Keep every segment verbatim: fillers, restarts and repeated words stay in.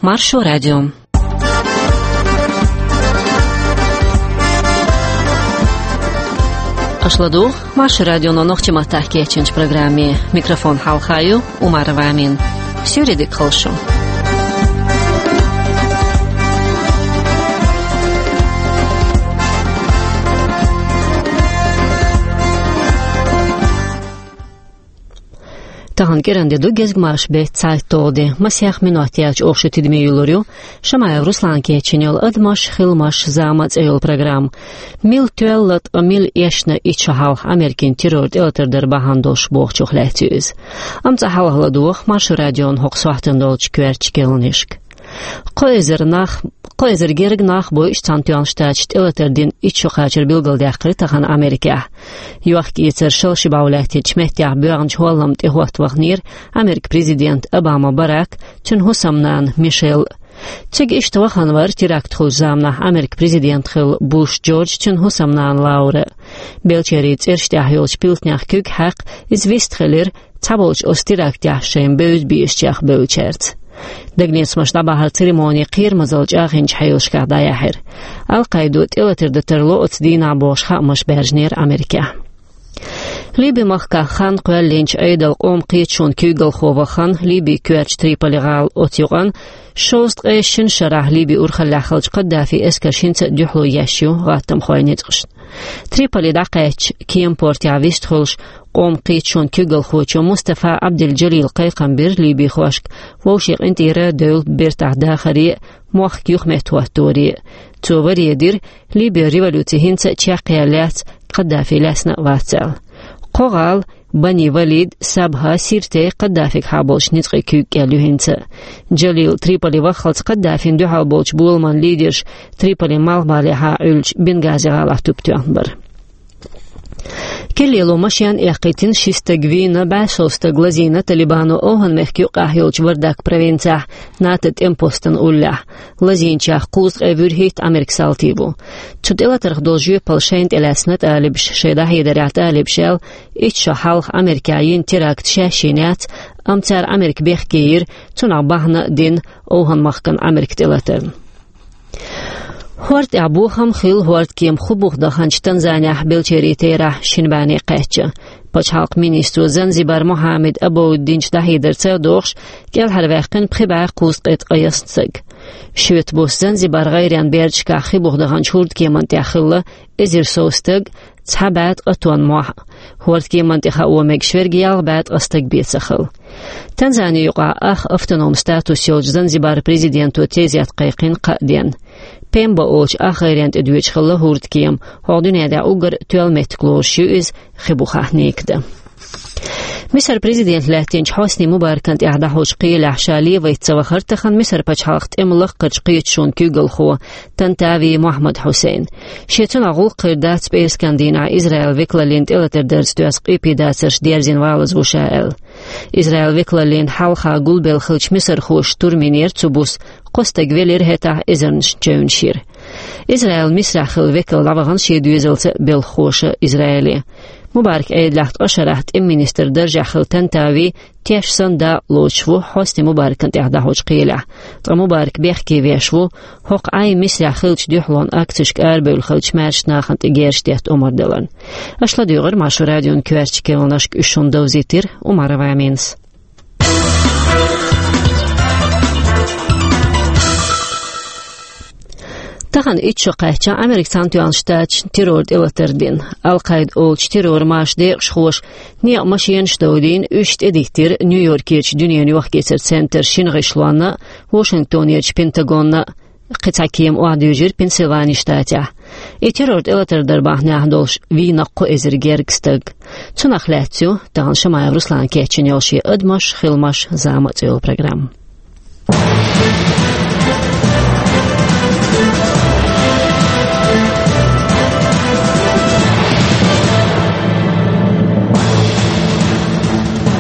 Маршо радио. Аша ладугӀу Маршо радионо нохчийн маттахь кечйинчу программе. Микрофон хьалха ю Умарова Амина. Суьйре дика хуьлда шу. Тахана кӀиранде ду гезгмашин беттан цхьайтталгӀа де. Масех минот яьлча оха шу тидаме юьллур ю Шамаев Руслана кечйина йолу «Адамаш, хиламаш, зама» цӀе йолу программа. Мила тоьлла, ткъа мила эшна итт шо хьалха Америкин террор тӀелатар дар бахьана долуш бохучух лаьцна ю иза. Амма цкъа хьалха ладогӀа Маршо радион хӀокху сохьтана долчу коьртачу керланашка. Кхо эзар нах, кхо эзар герга нах бу Ӏаш Цхьаьнатоьхначу Штаташна тӀелатар дина итт шо кхачар билгалдаьккхира тахана Америкехь. Йохк-эцар шала ши бӀов лаьттинчу меттехь боьгӀначу хӀолламна тӀехӀотта ваханера Америкин президент Обама Барак, цуьнан хӀусамнана Мишель. Цига иштта вахана вара теракт хуьлучу заманахь Америкин президент хилла Буш Джордж, цуьнан хӀусамнана Лаура. Белчерийн цӀераш тӀехь йолчу пилтанех куьг хьаькхна, иза вист хилира цхьаболчу оцу терактехь шайна бевза безачех бевллачаьрца. Дагнецамаш дӀабахьар церемони кхерамазалла чӀагӀйинчу хьелашкахь дӀаяьхьира. Ал-Къаидо тӀелатар дан тарло оцу дийнахь бохуш хаамаш баьржинера Америкехь. Ливи-махкахь хан кхоьллинчу Ӏедалан къоман кхеташонан куьйгалхо вахана, Ливин коьртачу Триполи-гӀала оцу юкъана шовзткъе шина шарахь Ливин урхаллехь хиллачу Каддафин эскарш хӀинца а дуьхьало еш ю гӀаттамхойн ницкъашна. Триполи дӀакхаьчча, кеман портехь вистхуьлуш, къоман кхеташонан куьйгалхочо Мустафа Абдел-Джалила кхайкхам бира ливихошка вовшийн къинтӀера девлла бертахь дахаре а, мохк юхаметтахӀотторе а. Цо варе дира, Ливин революци хӀинца а чекхъяьлла яц, Каддафи лаьцна а вац аьлла. Кхо гӀала, Бани-Валид, Сабха, Сирте, Каддафигахьа болчу ницкъийн куьйга кӀел ю хӀинца а. Джалил Триполи ваххалц Каддафина дуьхьал болчу боламан лидерш Триполин малхбалехьа Ӏуьллучу Бенгази-гӀалахь туп тоьхна бара. Кхин лело машен а эккхийтина, ши стаг вийна, бӀе сов стаг лазийна Талибано ОвхӀан-мехкан юккъехь йолчу Вардак провинцехь НАТО тӀеман постана уллехь. Лазийначех кхузткъе вуьрхӀитта Америкин салти бу. Цу тӀелатарх долу жоьпалла шайна тӀелаьцна талибаша. Шайн дӀахьедарехь талибаша аьлла, итт шо хьалха Америкехь йина теракт шаьш йина яц, амма цара Америка бехке йира, цунах бахьана а дина ОвхӀан-махкана Америкин тӀелатарна. ХӀорда тӀехь бохам хилла хӀордкема хи буха даханчу Танзанехь белчерийн терахь шина бӀенне кхаьчча. Пачхьалкхан министро Занзибар Мохьаммед Абоуд динчу дӀахьедарца а догӀуш, кӀелхьарваьккхина пхи бӀе кхузткъе ткъе ялх стаг. Шоьтан буса Занзибар гӀайренан бердашкахь хи буха даханчу хӀордкеман тӀехь хилла эзар сов стаг, цхьа бӀе ткъа тонна мохь а. ХӀордкеман тӀе хао мегаш верг ялх бӀе ткъа стаг бен ца хилла. Танзани юкъахь ах автономи статус йолчу Занзибар президенто тезет кхайкхина кхаа денна. Пемба олучу ах гӀайренна тӀе доьдуш хилла хӀордкема, хӀокху дуьнен тӀехь уггар тоьлла меттиг лоруш ю иза хи бухахь ника дан. Мисар президент лаьттинчу Хьосни Мубаракан тӀехь дӀахьочу кхелехь ша левайта ца вахара тахана Мисар пачхьалкхан тӀеман лакхарчу кхеташонан куьйгалхо Тантави Мохьмад Хьусайн. Шен цунах гӀуллакх хир дац пӀераскан дийнахь Израилан векалаллин тӀелатар дарца доьзна къепедацарш дерзина валаза ву ша аьлла. Израилан векалаллин хьалха гулбелла хиллачу мисархоша штурм йинера цу буса, кхо стаг велира, хӀетахь эзарнаш чевнаш йира. Израилан Мисрахь хилла векал дӀавахана шен доьзалца а, белхахоша а Израиле. Мубаракан Ӏедалехь ткъа шарахь тӀеман министран даржехь хилла Тантави теш санна дакъа лоцуш ву Хьосни Мубаракан тӀехь дӀахьочу кхелехь, ткъа Мубарак бехке веш ву, хӀокху Ӏай Мисрахь хиллачу дуьхьалонан акцешка арабевлла хиллачу маьршачу нахана тӀе герзаш детта омра даларна. Аша ладуьйгӀира Маршо радион коьртачу керланашка, уьш шуна довзийтира Умарова Аминас. Тахана итт шо кхаьчна Америкин Цхьаьнатоьхначу Штаташна террор тӀелатар дина. Ал-Къаида олучу террор-машан декъашхоша некъан машенаш довдийна, уьш тӀедиттира Нью-Йоркерчу дуьненан йохк-эцаран центран шина гӀишлонна а, Вашингтонерчу Пентагонна а. Кхин цхьа кема охьадуьйжира Пенсильвани штатехь. И террор тӀелатар дар бахьанехь долуш вийна кхо эзар гергга стаг. Цунах лаьцна ю тахана Шамаев Руслана кечйина йолу шен «Адамаш, хиламаш, зама» цӀе йолу программа.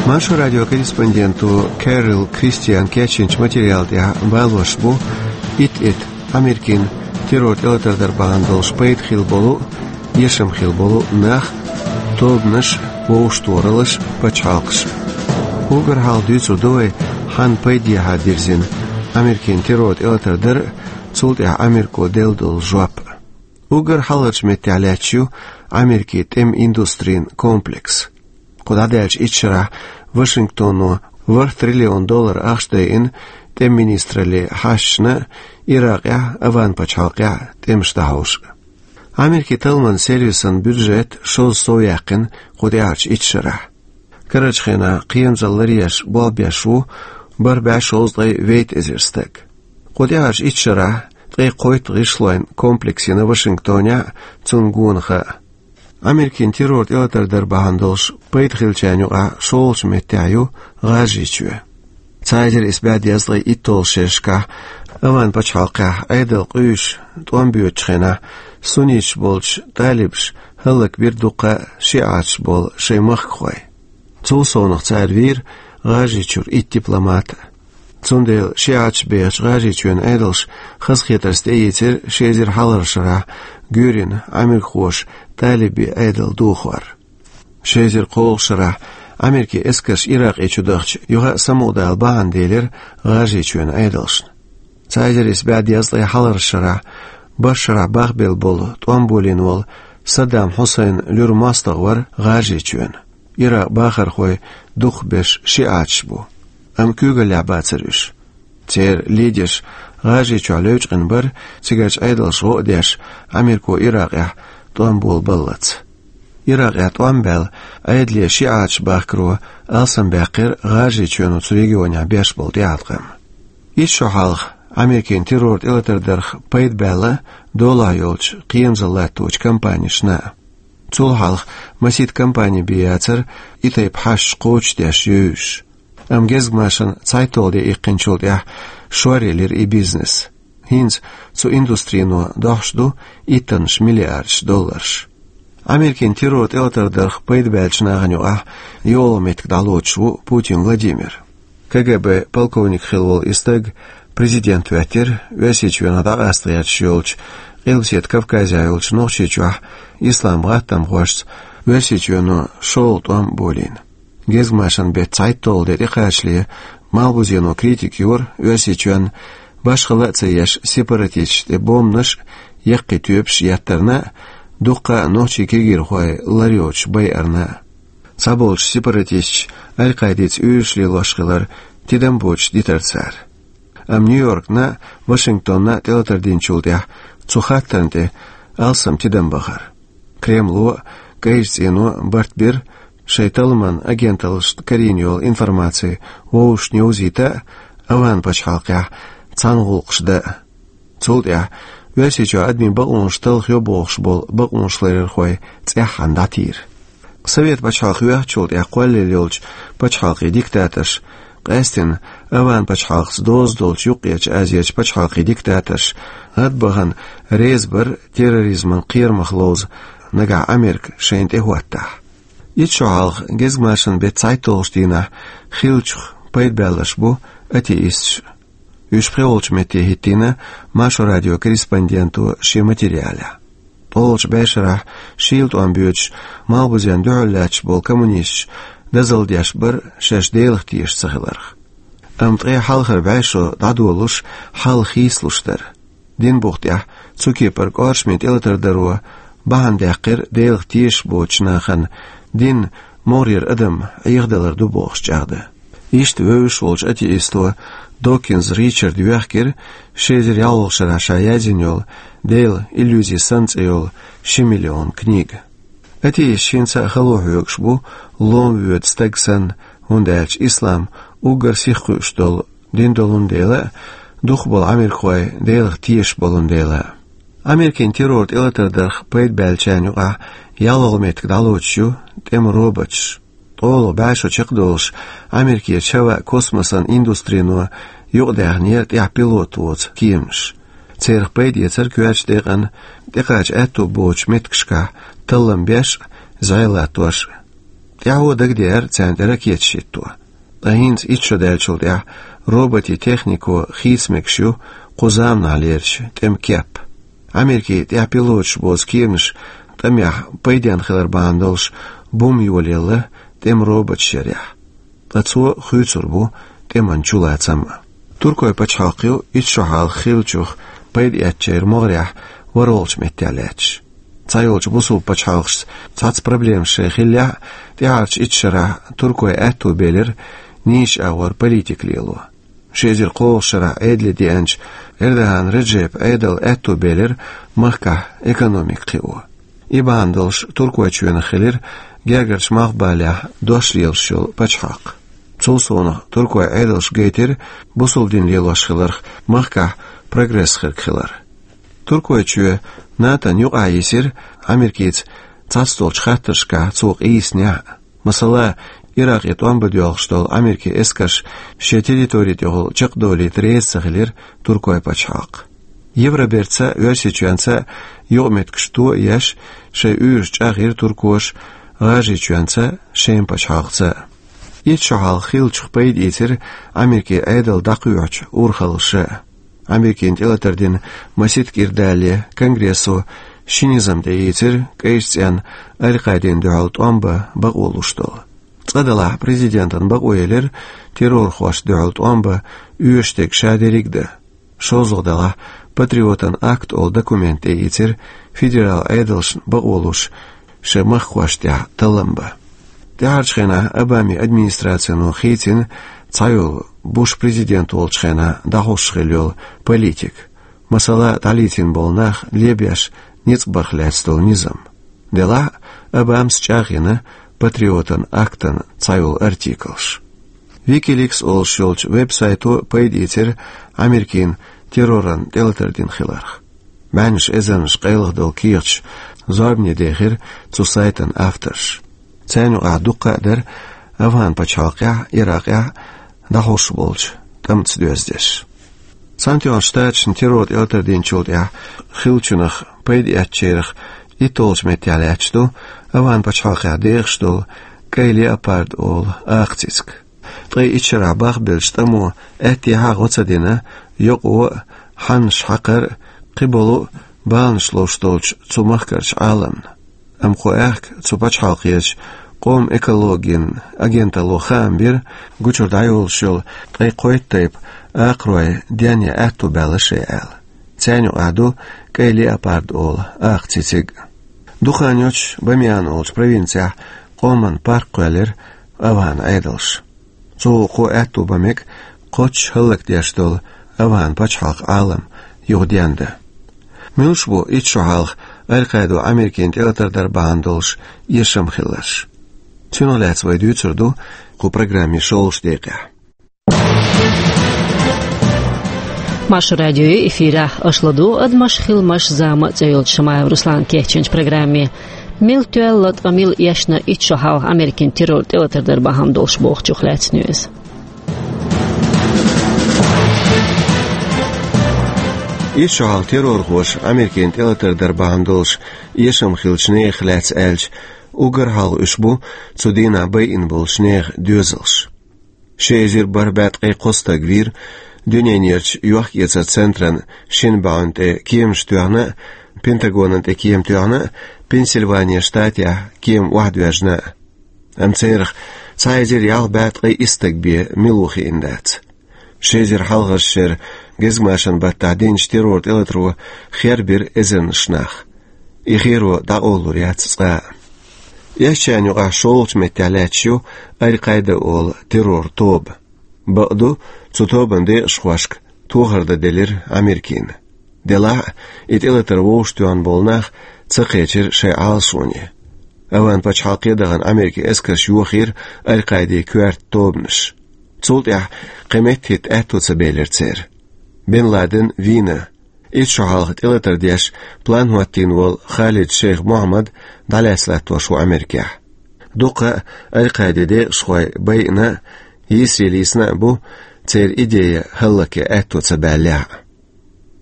Маршо радион корреспонденто Кэрол Кристиан кечйинчу материал тӀехь балош бу итт-итт Америкин террор тӀелатар дар бахьана долуш пайда хилла болу, эшам хилла болу нах, тобанаш, вовшахтохараллаш, пачхьалкхаш. Уггар хьалха дуьйцур ду вай, хьанна пайдехьа дирзина Америкин террор тӀелатар дар а, цул тӀаьхьа Америко делла долу жоп а. Уггар хьалхарчу меттехь лаьтташ ю Америкин тӀеман индустрин комплекс. Кху дӀадаьллачу итт шарахь Вашингтоно ворхӀ триллион доллар ахча дайина тӀеман министраллин хьашташна а, Иракъехь а, Аван-пачхьалкхехь а тӀемаш дӀахьош а. Америкин талламан сервисан бюджет шозза сов яьккхина кху тӀаьхьарчу итт шарахь. Карарчу хенахь кхерамзалла ларъеш болх беш ву бархӀ бӀе шовзткъе вейтта эзар стаг. Кху тӀаьхьарчу итт шарахь ткъе кхойтта гӀишлойн комплекс йина Вашингтонехь а, цунна гонах а. Америкин террор тӀелатар дар бахьана долуш пайда хиллачарна юкъахь шолгӀачу меттехь ю ГӀажарийчоь. Цхьа эзар исс бӀе дезткъе итталгӀачу шерашкахь Аван-пачхьалкхехь Ӏедалан къуьйсуш тӀом боьдучу хенахь сунниташ болчу талибаша хӀаллакбира дуккха а шиӀаташ болу шайн махкахой. Цул совнаха цара вийра ГӀажарийчуьра итт дипломат а. Цундела шиӀаташ бехачу ГӀажарийчоьнан Ӏедалша хазахетарца тӀеийцира ши эзар хьалхарчу шарахь Гуьрин Ӏамеркахоша талибийн Ӏедал дохор. Ши эзар кхоалгӀачу шарахь Америкин эскарш Иракъе чу дахча юха а самукъадала бахьана делира ГӀажарийчоьнан Ӏедалшна. Цхьа эзар исс бӀе дезткъе хьалхарчу шарахь Башарахь бахбелла болу тӀом болийна волу Саддам Хьусайн луьра мостагӀа вара ГӀажарийчоьнан. Иракъан бахархой дукхахберш шиӀаташ бу, амма куьйгаллехь бацара уьш. Церан лидерш ГӀажарийчохь левчкъина бара, цигарчу Ӏедалша гӀо а деш, Америко Иракъехь тӀом болабаллалц. Иракъехь тӀом баьлла, Ӏедале шиӀаташ бахкаро алсамбаьккхира ГӀажарийчоьно цу регионехь беш болу тӀеӀаткъам. Итт шо хьалха Америкин террор тӀелатар дарх пайда баьлла долахь йолчу кхерамзалла латточу компанешна а. Цул хьалха масийтта компани бен яцара и тайпа хьашташ кхочушдеш, евзаш. Амма гезгмашан цхьайтталгӀа де иккхинчул тӀаьхьа шоръелира и бизнес. ХӀинца цу индустрино дохьуш ду иттаннаш миллиардаш долларш. Америкин террор тӀелатар дарх пайда баьллачу нахана юкъахь йолах меттиг дӀалоцуш ву Путин Владимир. КГБ полковник хилла волу и стаг президент хӀоьттира Оьрсийчоьнах дӀакъаста гӀерташ йолчу Къилбаседа Кавказехь йолчу Нохчийчохь ислам гӀаттамхошца Оьрсийчоьно шолгӀа тӀом болийна. Гезгмашан беттан цхьайтталгӀа де тӀекхачале Малхбузено критика йора Оьрсийчоьнна башхалла а ца еш сепаратисташна тӀе бомбанаш а, яккхий тоьпаш а еттарна а, дуккха а нохчийн кегийрхой лар йоцуш байарна а. Цхьаболчу сепаратисташа Аль-Къаидица уьйраш лелош хилар тидам боцуш дитира цара. Амма Нью-Йоркна а, Вашингтонна а тӀелатар динчул тӀаьхьа цу хаттарна тӀе алсам тидам бахара. Кремло а, КӀайчу цӀено а барт бира шайн талламан агенталлашна карийна йолу информаци вовшашна йовзийта а, Аван-пачхьалкхехь цхьаьна гӀуллакхаш дан а. Цул тӀаьхьа Оьрсийчохь адамийн бакъонаш талхайо бохуш болу бакъонашларъярхой цӀеххьана дӀатийра. Совет пачхьалкх йоьхначул тӀаьхьа кхоллаелла йолчу пачхьалкхийн диктаторша, къаьсттина Аван-пачхьалкхца доза долчу Юккъерчу Азерчу пачхьалкхийн диктаторша, гӀадбахана реза бара терроризман кхерамах ловза нагахь Америка шайна тӀехӀоттахь. Итт шо хьалха гезгмашан беттан цхьайтталгӀачу дийнахь хиллачух пайда баьлларш бу атеисташ. Уьш пхи волчу метте хӀиттийна Маршо радион корреспонденто шен материалехь. ТӀолгӀачу бӀешарахь шийла тӀом боьдуш, Малхбузенна дуьхьал лаьтташ болу коммунисташ дозалла деш бара шаьш Делах тешаш ца хиларх. Амма ткъе хьалхара бӀешо дӀадолуш, хьал хийцалуш дара. Динан бух тӀехь цу кепара кӀоршаме тӀелатар даро бахьана даьккхира Делах тешаш боцучу нахана дин могӀарера адам Ӏехадалар ду бохуш чӀагӀдан. Иштта вевзаш волчу атеисто Докинз Ричарда йоьхкира ши эзар ялхолгӀачу шарахь ша язйина йолу «Делан иллюзи» санна цӀе йолу ши миллион книга. Атеисташ хӀинца а хало хьоьгуш бу лом воьду стаг санна, хӀунда аьлча ислам уггар сиха кхуьуш долу дин долун дела а, дукхахболу америкахой Делах тешаш болун дела а. Америкин террор тӀелатар дарх пайда баьллачарна юкъахь ялхолгӀа меттиг дӀалоцуш ю тӀеман роботаш. ТӀолгӀа бӀешо чекхдолуш, Америкерчу хӀаваан, космосан индустрино юкъадаьхнера тӀехь пилот воцу кеманаш. Церах пайда эцара коьртачу декъана тӀекхача аьтто боцучу меттигашкахь таллам беш а, зӀе латтош а. ТӀаьхьо дагадеара царна тӀе ракеташ хӀитто. Ткъа хӀинца итт шо даьллачул тӀаьхьа роботийн технико хийца мегаш ю кху заманахьлерчу тӀеман кеп. Америкин тӀехь пилоташ боцу кеманаш тӀамехь пайденна хилар бахьана долуш бум йолаелла тӀеман роботаш ярехь. Ткъа цо хуьйцур бу тӀеман чулацам а. Туркойн пачхьалкх ю итт шо хьалха хиллачух пайда эцначеран могӀарехь ворхӀалгӀачу меттехь лаьтташ. Цхьайолчу бусалба пачхьалкхашца цхьацца проблемаш шайн хиллехь а, тӀаьхьарчу итт шарахь Туркойн аьтто белира нийса агӀор политика лело. Ши эзар кхоалгӀачу шарахь Ӏедале деанчу Эрдоган Реджепан Ӏедалан аьтто белира махкахь экономика кхио. И бахьана долуш Туркойчоьнах хилира гергарчу Малхбалехь дош лелаш йолу пачхьалкх. Цул совнаха туркойн Ӏедалша гайтира бусалба дин лелош хиларх махкахь прогресс хирг хилар. Туркойчоь НАТО-н юкъахь йисира Америкица цхьацдолчу хаттаршкахь цо къийсинехь а. Масала, Иракъе тӀом бан доьлхуш долу Америкин эскарш шен территори тӀехула чекхдовлийта реза ца хилира Туркойн пачхьалкх. Евробертаца а, Оьрсийчоьнца а юкъаметтигаш то а еш, шайн уьйраш чӀагӀйира туркоша ГӀажарийчоьнца а, Шеман пачхьалкхаца а. Итт шо хьалха хиллачух пайда ийцира Америкин Ӏедал дӀакхоьхьучу урхаллаша а. Америкина тӀелатар дина масийтта кӀира далале Конгрессо ши низам тӀеийцира, КӀайчу цӀенна Аль-Къаидина дуьхьал тӀом бан бакъо луш долу. Цкъа делахь, президентан бакъо елира террорхошна дуьхьал тӀом бан оьшург ша дерриг а дан. ШолгӀа делахь, Патриотан акт олу документ тӀеийцира федералан Ӏедалшна бакъо луш шайн махкахошна тӀехь таллам бан. ТӀаьхьарчу хенахь Обамин администрацино хийцина цхьайолу Буш президент волчу хенахь дӀахьош хилла йолу политика. Масала, дӀалецна болу нах лебеш ницкъ барх лаьцна долу низам. Делахь а, Обамас чӀагӀйина Патриотан актан цхьайолу артиклаш. Wikileaks олуш йолчу веб-сайто пайда ийцира Америкина терроран тӀелатар дина хиларх. БӀеннаш эзарнаш къайлаха долу кехаташ зорбане дехира цу сайтан авторша. Царна юкъахь дуккха а дара АфгӀан пачхьалкхехь, Иракъехь дӀахьош болчу тӀамца доьзна дерш. Цхьаьнатоьхначу Штаташна террор тӀелатар динчул тӀаьхьа хиллачунах пайда эцначарах итталгӀачу меттехь лаьтташ ду АфгӀан пачхьалкхехь дехаш долу кӀайн леопард олу акха цициг. Ткъе итт шарахь бахбеллачу тӀамо аьттехьа а гӀо ца дина йокъо а, хьаннаш хьакхар а, кхиболу а баланаш ловш долчу цу махкарчу Ӏаламна. Амма кху аьхка цу пачхьалкхерчу къоман экологин агенталло хаам бира, гучура дӀайолуш йолу ткъе кхойтта тайпа акхарой денъян аьтто баьлла шайн аьлла. Царна юкъахь ду кӀайн леопард олу акха цициг. Духанёчу Бамиан олучу провинцехь къоман парк кхоьллира АфгӀан Ӏедалша. Цо кхо аьтто бан мега кхоччуш хӀаллакдеш долу АфгӀан пачхьалкхан Ӏалам юха дендан. Муьлш бу итт шо хьалха Аль-Къаидо Америкина тӀелатар дар бахьана долуш эшам хилларш? Цунах лаьцна вай дуьйцур ду кху программин шолгӀачу декъехь. Маршо радион эфирехь аша ладугӀу «Адамаш, хиламаш, зама» цӀе йолчу Шамаев Руслана кечйинчу программе. Мила тоьлла, ткъа мила эшна итт шо хьалха Америкина террор тӀелатар дар бахьана долуш бохучух лаьцна ю иза. Итт шо хьалха террорхоша Америкина тӀелатар дар бахьана долуш эшам хиллачу нехан лаьцна аьлча, уггар хьалха уьш бу цу дийнахь байина болчу нехан доьзалш. Ши эзар бархӀ бӀе ткъе кхо стаг вийра дуьненан ярташ йохк-эцаран центран шина бӀаьвнина тӀе кеманаш тоьхна а, Пентагонан тӀе кема тоьхна а, Пенсильвания штатехь кема охьадоьжна а. Амма царах цхьа эзар ялх бӀе ткъе исс стаг бен мила ву хиъна дац. Ши эзар хьалхарчу шеран гезгмашан баттахь динчу террор тӀелатаро хербира эзарнаш нах. И херо дӀакъовлалур яц цкъа а. Эшначарна юкъахь шолгӀачу меттехь лаьтташ ю Аль-Къаида олу террор тоба. Бакъду, цу тобанан декъашхошка тохар дан делира Америкина. Делахь а, и тӀелатар вовшахтоьхна болу нах ца кхечира шайн Ӏалашоне. АфгӀан пачхьалкхе дахана Америкин эскарша йохийра Аль-Къаидин коьрта тобанаш. Цул тӀаьхьа кхин меттахӀитта аьтто ца белира церан. Бен Ладен вийна. Итт шо хьалха тӀелатар деш план хӀоттийна волу Халид Шейх Мухьаммад дӀалаьцна латтош ву Америкехь. Дуккха а Аль-Къаидин декъашхой байина а, йийсаре лийсина а бу, церан идея хӀаллакъян аьтто ца баьллехь а.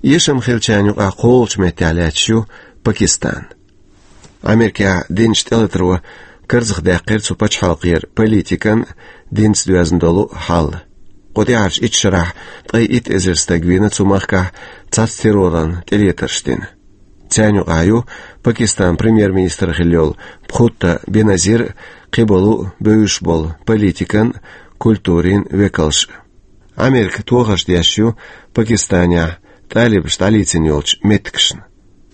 Эшам хиллачарна юкъахь кхоалгӀачу меттехь лаьтташ ю Пакистан. Америкехь динчу тӀелатаро карзахдаьккхира цу пачхьалкхера политикан а, динца доьзна долу а хьал. Кху тӀаьхьарчу итт шарахь ткъе итт эзар стаг вийна цу махкахь цхьацца терроран тӀелетарш дина. Царна юкъахь ю Пакистан премьер-министр хилла йолу Бхутто Беназир а, кхиболу а бевзаш болу политикан а, культурин а векалш а. Америка тохарш деш ю Пакистанехь тӀалибаш дӀалийцина йолчу меттигашна.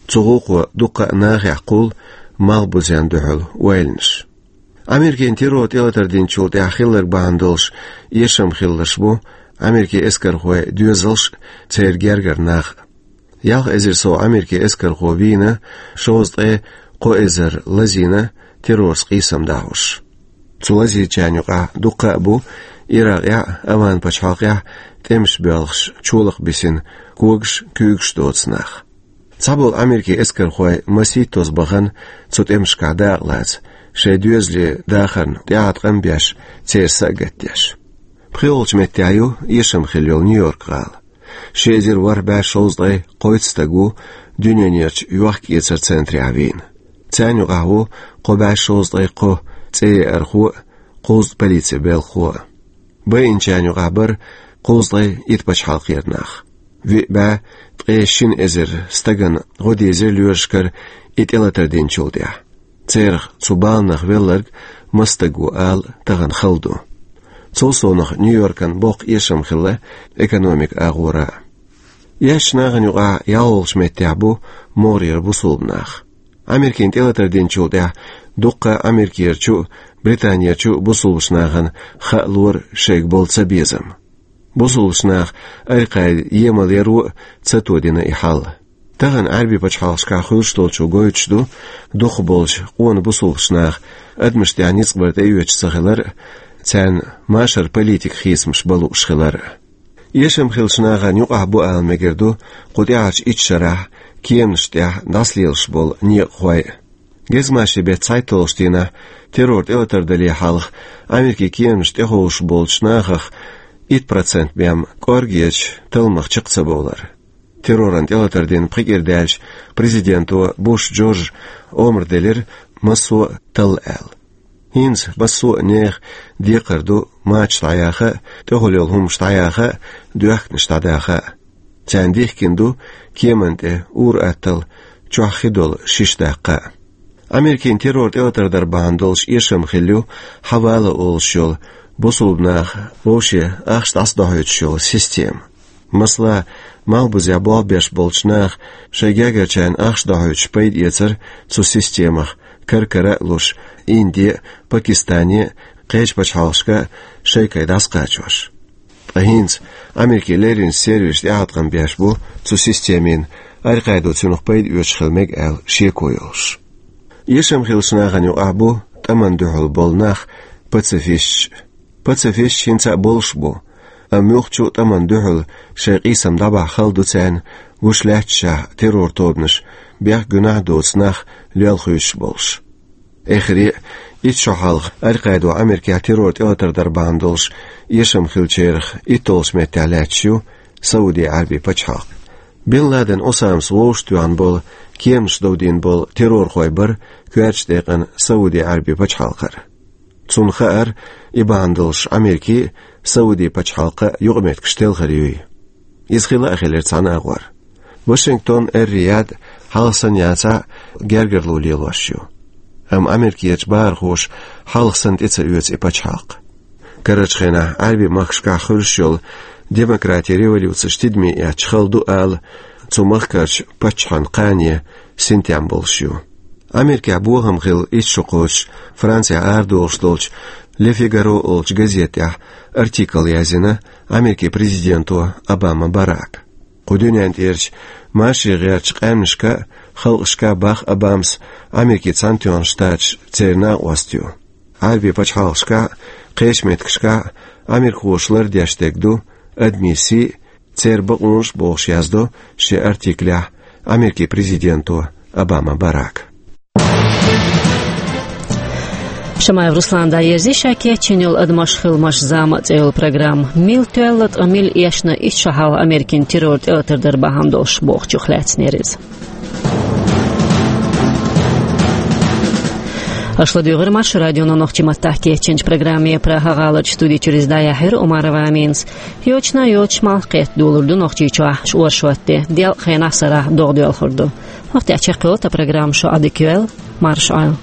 Цу гӀуллакхо дуккха а нахехь кхуллу малхбузенна дуьхьал ойланаш. Америкин террор тӀелатар динчул тӀаьхьа хилларг бахьана долуш эшам хилларш бу Америкин эскархойн доьзалш а, церан гергара нах а. Ялх эзар сов Америкин эскархо вийна, шовзткъе кхо эзар лазийна террорца къийсам дӀахьош. Цу лазийначарна юкъахь дуккха а бу Иракъехь а, Оман-пачхьалкхехь а тӀемаш боьлхуш чолакх бисина, когаш, куьйгаш доцу нах. Цхьаболу Америкин эскархой масийттаза бахана цу тӀемашкахь дакъалаца, шайн доьзалийн дахарна тӀехьа къам беш, церан са а гатдеш. ПхоьалгӀачу меттехь ю эшам хилла йолу Нью-Йорк-гӀала. Ши эзар ворхӀ бӀе шовзткъе кхойтта стаг ву дуьненерчу йохк-эцаран центрехь вийна. Царна юкъахь ву кхо бӀе шовзткъе кхо цӀе еархо а, кхузткъа полицин белхахо а. Байинчарна юкъахь бара кхузткъе итт пачхьалкхера нах. Виъ бӀе ткъе шина эзар стагана гӀо дийзира лоьрашкара и тӀелатар динчул тӀаьхьа. Церах цу баланах велларг маса стаг ву ала тахана хала ду. Цул совнаха Нью-Йоркан боккха эшам хилла экономикан агӀора а. Эшначу нахана юкъахь ялхолгӀачу меттехь бу могӀарера бусулба нах. Америкин тӀелатар динчул тӀаьхьа дуккха а Америкерчу а, Британерчу а бусулбачу нахана хаалора шайга болу цабезам. Бусулбачу наха Аль-Къаида емал яро а ца тодина и хьал. Тахана Ӏаьрбийн пачхьалкхашкахь хуьлуш долчо гойтуш ду, дукхахболчу къона бусулбачу наха адамашна тӀехь ницкъ бар тӀеоьцуш ца хилар а, царна машаран политикан хийцамаш бан лууш хилар а. Эшам хиллачу нахана юкъахь бу ала мегар ду кху тӀаьхьарчу итт шарахь кеманашна тӀехь дӀасалелаш болу некъахой а. Гезгмашин беттан цхьайтталгӀачу дийнахь террор тӀелатар дале хьалха Америкин кеманашна тӀехуьлуш болчу нахах итт процент бен кӀорггечу талламах чекх ца бовлар. Терроран тӀелатар дина пхи кӀира даьлча президенто Буш Джорджа омра делира массо а талла аьлла. ХӀинца массо а нехан декхар ду мачаш дӀаяха а, тӀехула йолу хӀуманаш дӀаяха а, доьхканаш дӀадаха а. Царна дихкина ду кеманна тӀе ур-атталла чохь хи долу шиша даккха а. Америкин террор тӀелатар дар бахьана долуш эшам хилла ю Хьавала олуш йолу бусулба наха вовше ахча дӀасадохьуьйтуш йолу система. Масала, малхбузехь болх беш болчу наха шайн гергарчарна ахча дохьуьйтуш пайдаэцар цу системах, кар-кара а луш, Инде а, Пакистане а, кхечу пачхьалкхашка а шайкай дӀасакхачош. Ткъа хӀинца Америкин леррина сервисаш тӀеӀаткъам беш бу цу системин, Аль-Къаидо цунах пайда оьцуш хила мега аьлла шеко йолуш. Эшам хиллачу нахана юкъахь бу тӀамна дуьхьал болу нах, пацифисташ. Пацифисташ хӀинца а болуш бу, амма муьлххачу а тӀамна дуьхьал шайн къийсам дӀабахьа хала ду царна, гуш лаьтташехь террор тобанаш бехк-гуьнахь а доцу нах лелхуьйтуш болуш. Эххар а, итт шо хьалха Аль-Къаидо Америкехь террор тӀелатар дар бахьана долуш эшам хиллачарах итталгӀачу меттехь лаьтташ ю Сауди Ӏаьрбийн пачхьалкх. Бин Ладен Осамас вовшахтоьхна болу, кеманаш довдийна болу террорхой бара коьртачу декъана Сауди Ӏаьрбийн пачхьалкхара. Цунна хаьара, и бахьана долуш Америкин а, Сауди пачхьалкхан а юкъаметтигаш телхар юй. Иза хилла а хилира цхьана агӀор. Вашингтон, Эр-Рияд хьалха санна яцахь а гергарло лелош ю. Амма Америкерчу бахархоша хьалха санна тӀе ца оьцу и пачхьалкх. Карарчу хенахь Ӏаьрбийн махкашкахь хуьлуш йолу демократин революцеш тидаме эцча хала ду ала, цу махкарчу паччахьан кхане синтем болуш ю. Америкехь бохам хилла итт шо кхочуш Францехь арадолуш долчу Le Figaro олучу газета тӀехь артикл язйина Америкин президенто Обама Барака. Кху дуьнен тӀерачу машаре гӀертачу къаьмнашка а, халкъашка а боху Обамас Америкин Цхьаьнатоьхна Штаташ церан накъост ю. Ӏаьрбийн пачхьалкхашкахь а, кхечу меттигашкахь а америкахоша лардеш дерг ду адамийн сий а, церан бакъонаш а, бохуш яздо шен артиклехь Америкин президенто Обама Барака. Шамаев Руслана дӀаерзийра ша кечйина йолу «Адамаш, хиламаш, зама» цӀе йолу программа. Мила тоьлла, ткъа мила эшна итт шо хьалха Америкин террор тӀелатар дар бахьана долуш бохучух лаьцна яра иза. Аша ладуьйгӀира Маршо радионо нохчийн маттахь кечйинчу программе. Прага-гӀаларчу студи чуьра иза дӀаяьхьира Умарова Аминас. Йочана йоцуш малх кхетта долур ду Нохчийчохь ши оршот де. Делкъа хенахь сарахь догӀа доьлхур ду. ХӀокху тӀехь чекхйолу тхан программа, шу Ӏадика йойла, марша Ӏойла.